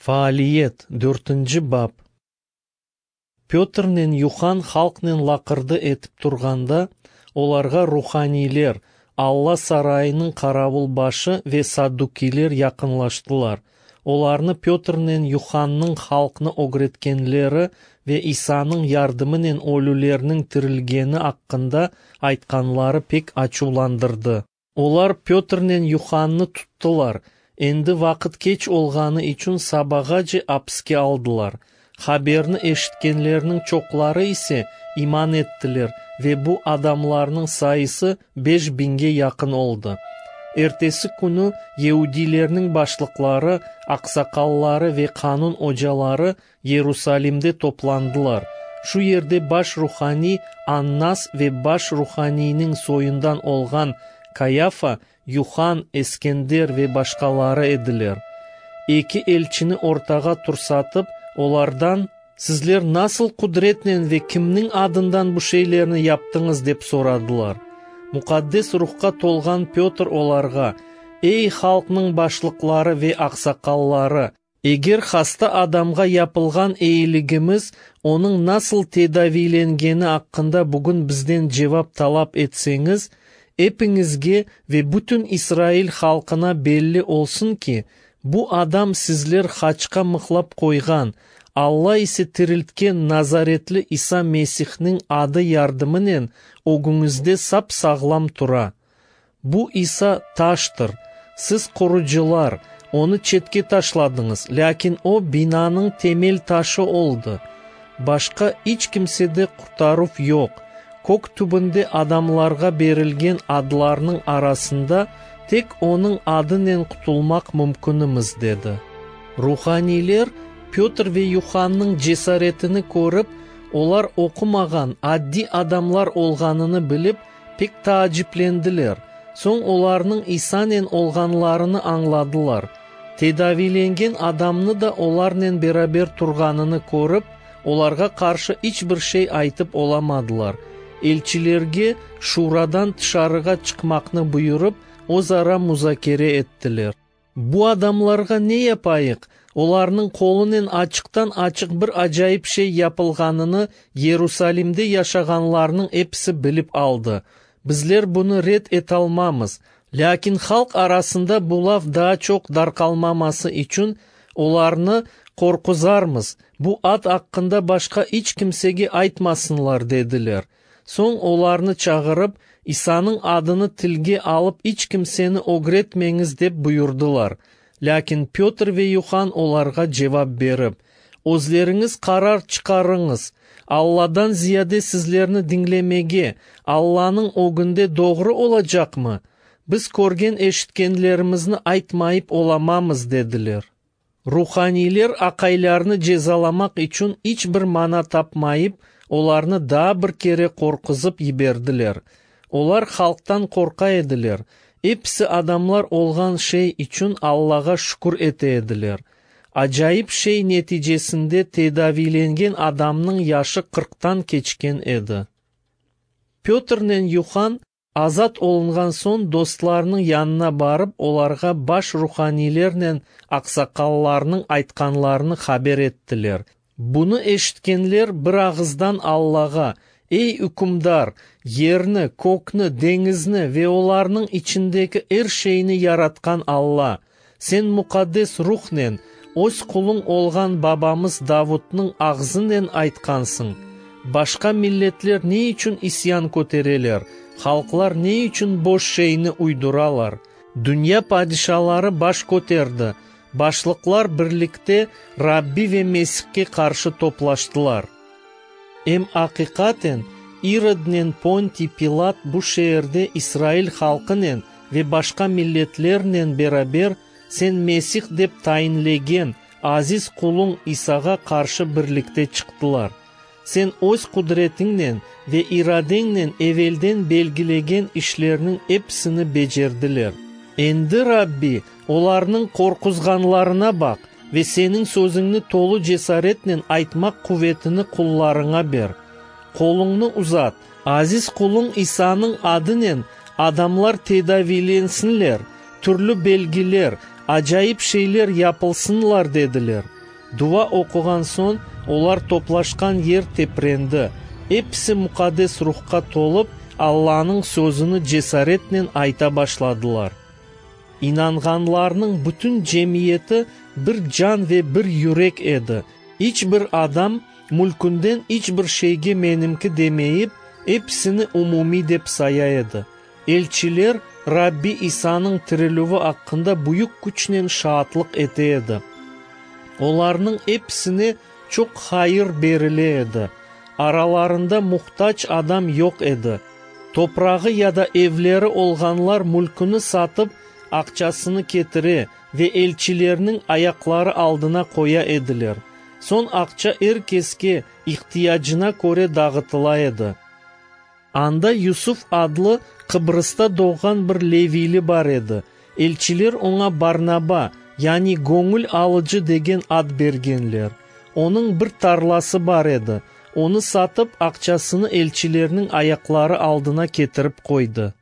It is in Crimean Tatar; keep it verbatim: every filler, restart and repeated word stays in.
Faaliyet, dörtünci bap. Pötrnen Yuhan halqnen laqırdı etip turğanda, olarğa ruhaniyler, Alla sarayınıñ qaravul başı ve saddukiyler yaqınlaştılar. Olarnı Pötrnen Yuhannıñ halqnı ögretkenleri ve İsanıñ yardımınen ölülerniñ tirilgeni aqqında aytqanları pek açuvlandırdı. Olar Pötrnen Yuhannı tuttılar. Endi vaqıt keç olğanı içün sabağace apiske aldılar. Haberni eşitkenlerniñ çoqları ise iman ettiler ve bu adamlarnıñ sayısı beş biñge yaqın oldı. Ertesi künü yeudiylerniñ başlıqları, aqsaqalları ve qanun ocaları Yerusalimde toplandılar. Şu yerde baş ruhaniy Annas ve baş ruhaniyniñ soyundan olğan Kayafa, Yuhan, Eskender ve başqaları ediler. Eki elçini ortağa tursatıp, olardan: Sizler nasıl qudretnen ve kimniñ adından bu şeylerni yaptıñız, dep soradılar. Muqaddes ruhqa tolğan Pötr olarğa: Ey halqnıñ başlıqları ve aqsaqalları, eger hasta adamğa yapılğan eyiligimiz, onıñ nasıl tedaviylengeni aqqında bugün bizden cevap talap etseñiz, epiñizge ve bütün İsrail halqına belli olsun ki, bu adam sizler haçqa mıhlap qoyğan, Alla ise tiriltken Nazaretli İsa Mesihniñ adı yardımınen ögüñizde sap-sağlam tura. Bu İsa taştır. Siz qurucılar, onı çetke taşladıñız, lâkin o binanıñ temel taşı oldı. Başqa iç kimsede qurtaruv yoq. Kök tübünde adamlarğa berilgen adlarnıñ arasında tek onıñ adınen qutulmaq mümkünimiz, dedi. Ruhaniyler Pötr ve Yuhannıñ cesaretini körip, olar oqumağan addiy adamlar olğanını bilip, pek taaciplendiler. Soñ olarnıñ İsanen olğanlarını añladılar. Tedaviylengen adamnı da olarnen beraber turğanını körip, olarğa qarşı iç bir şey aytıp olamadılar. Elçilerge şuradan tışarığa çıqmaqnı buyurıp, özara muzakere ettiler. Bu adamlarğa ne yapayıq? Olarnıñ qolunen açıqtan-açıq bir acayip şey yapılğanını Yerusalimde yaşağanlarnıñ episi bilip aldı. Bizler bunı red etalmamız. Lâkin halq arasında bu laf daa çoq darqalmaması içün olarnı qorquzarmız. Bu ad aqqında başqa iç kimsege aytmasınlar, dediler. Soñ olarnı çağırıp, İsanıñ adını tilge alıp iç kimseni ögretmeñiz, dep buyurdılar. Lâkin Pötr ve Yuhan olarğa cevap berip: Özleriñiz qarar çıqarıñız, Alladan ziyade sizlerni diñlemege Allanıñ ögünde doğru olacaqmı? Biz körgen eşitkenlerimizni aytmayıp olamamız, dediler. Ruhaniyler aqaylarnı cezalamaq içün iç bir mana tapmayıp, olarnı daa bir kere qorquzıp yiberdiler. Olar halqtan qorqa ediler. Episi adamlar olğan şey içün Allağa şükür ete ediler. Acayip şey neticesinde tedaviylengen adamnıñ yaşı qırqtan keçken edi. Pötrnen Yuhan azat olunğan soñ dostlarınıñ yanına barıp, olarğa baş ruhaniylernen aqsaqallarnıñ aytqanlarını haber ettiler. Bunı eşitkenler bir ağızdan Allağa: Ey ükümdar, yerni, kökni, deñizni ve olarnıñ içindeki er şeyni yaratqan Alla, sen muqaddes ruhnen öz quluñ olğan babamız Davudnıñ ağzınen aytqansıñ: Başqa milletler ne içün isyan kötereler, halqlar ne içün boş şeyni uyduralar? Dünya padişaları baş köterdi, başlıqlar birlikte Rabbi ve Mesihke qarşı toplaştılar. Em aqiqaten İrodnen Pontiy Pilat bu şeerde İsrail halqınen ve başqa milletlernen beraber sen Mesih dep tayinlegen aziz quluñ İsağa qarşı birlikte çıqtılar. Sen öz qudretiñnen ve iradeñnen evelden belgilegen işlerniñ episini becerdiler. Endi, Rabbi, olarnıñ qorquzğanlarına baq ve seniñ sözüñni tolu cesaretnen aytmaq quvetini qullarıña ber. Qoluñnı uzat, aziz quluñ İsanıñ adınen adamlar tedaviylensinler, türlü belgiler, acayip şeyler yapılsınlar, dediler. Dua oquğan soñ, olar toplaşqan yer teprendi. Episi Muqaddes Ruhqa tolıp, Allanıñ sözüni cesaretnen ayta başladılar. İnanğanlarnıñ bütün cemiyeti bir can ve bir yürek edi. İç bir adam mülkünden iç bir şeyge menimki demeyip, episini umumiy dep saya edi. Elçiler Rabbi İsanıñ tirilüvi aqqında büyük küçnen şaatlıq ete edi. Olarnıñ episine çoq hayır berile edi. Aralarında muhtac adam yoq edi. Toprağı ya da evleri olğanlar mülküni satıp, aqçasını ketire ve elçilerniñ ayaqları aldına qoya ediler. Soñ aqça er keske ihtiyacına köre dağıtıla edi. Anda Yusuf adlı Qıbrızda doğğan bir leviyli bar edi. Elçiler oña Barnaba, yani göñül alıcı degen ad bergenler. Onıñ bir tarlası bar edi. Onı satıp, aqçasını elçilerniñ ayaqları aldına ketirip qoydı.